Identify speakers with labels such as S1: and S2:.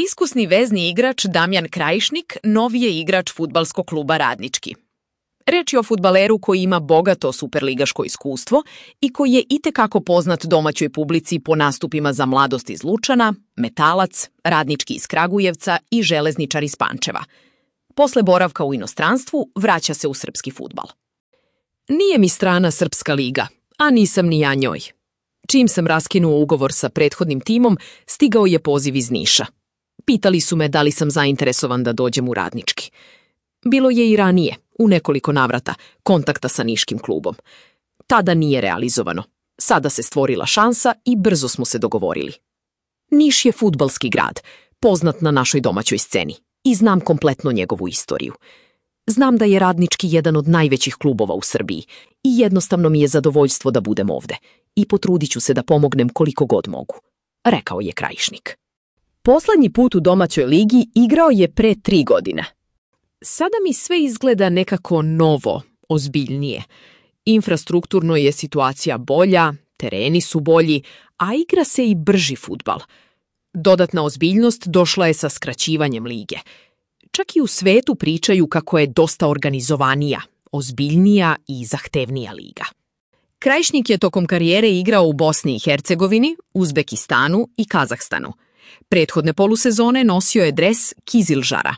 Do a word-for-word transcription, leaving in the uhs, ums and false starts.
S1: Iskusni vezni igrač Damjan Krajišnik novi je igrač fudbalskog kluba Radnički. Reč je o fudbaleru koji ima bogato superligaško iskustvo i koji je itekako poznat domaćoj publici po nastupima za Mladost iz Lučana, Metalac, Radnički iz Kragujevca i Železničar iz Pančeva. Posle boravka u inostranstvu vraća se u srpski fudbal. Nije mi strana Srpska liga, a nisam ni ja njoj. Čim sam raskinuo ugovor sa prethodnim timom, stigao je poziv iz Niša. Pitali su me da li sam zainteresovan da dođem u Radnički. Bilo je i ranije, u nekoliko navrata, kontakta sa niškim klubom. Tada nije realizovano. Sada se stvorila šansa i brzo smo se dogovorili. Niš je fudbalski grad, poznat na našoj domaćoj sceni, i znam kompletno njegovu istoriju. Znam da je Radnički jedan od najvećih klubova u Srbiji i jednostavno mi je zadovoljstvo da budem ovde i potrudit ću se da pomognem koliko god mogu, rekao je Krajišnik. Poslednji put u domaćoj ligi igrao je pre tri godine. Sada mi sve izgleda nekako novo, ozbiljnije. Infrastrukturno je situacija bolja, tereni su bolji, a igra se i brži fudbal. Dodatna ozbiljnost došla je sa skraćivanjem lige. Čak i u svetu pričaju kako je dosta organizovanija, ozbiljnija i zahtevnija liga. Krajišnik je tokom karijere igrao u Bosni i Hercegovini, Uzbekistanu i Kazahstanu. Prethodne polusezone nosio je dres Kizilžara.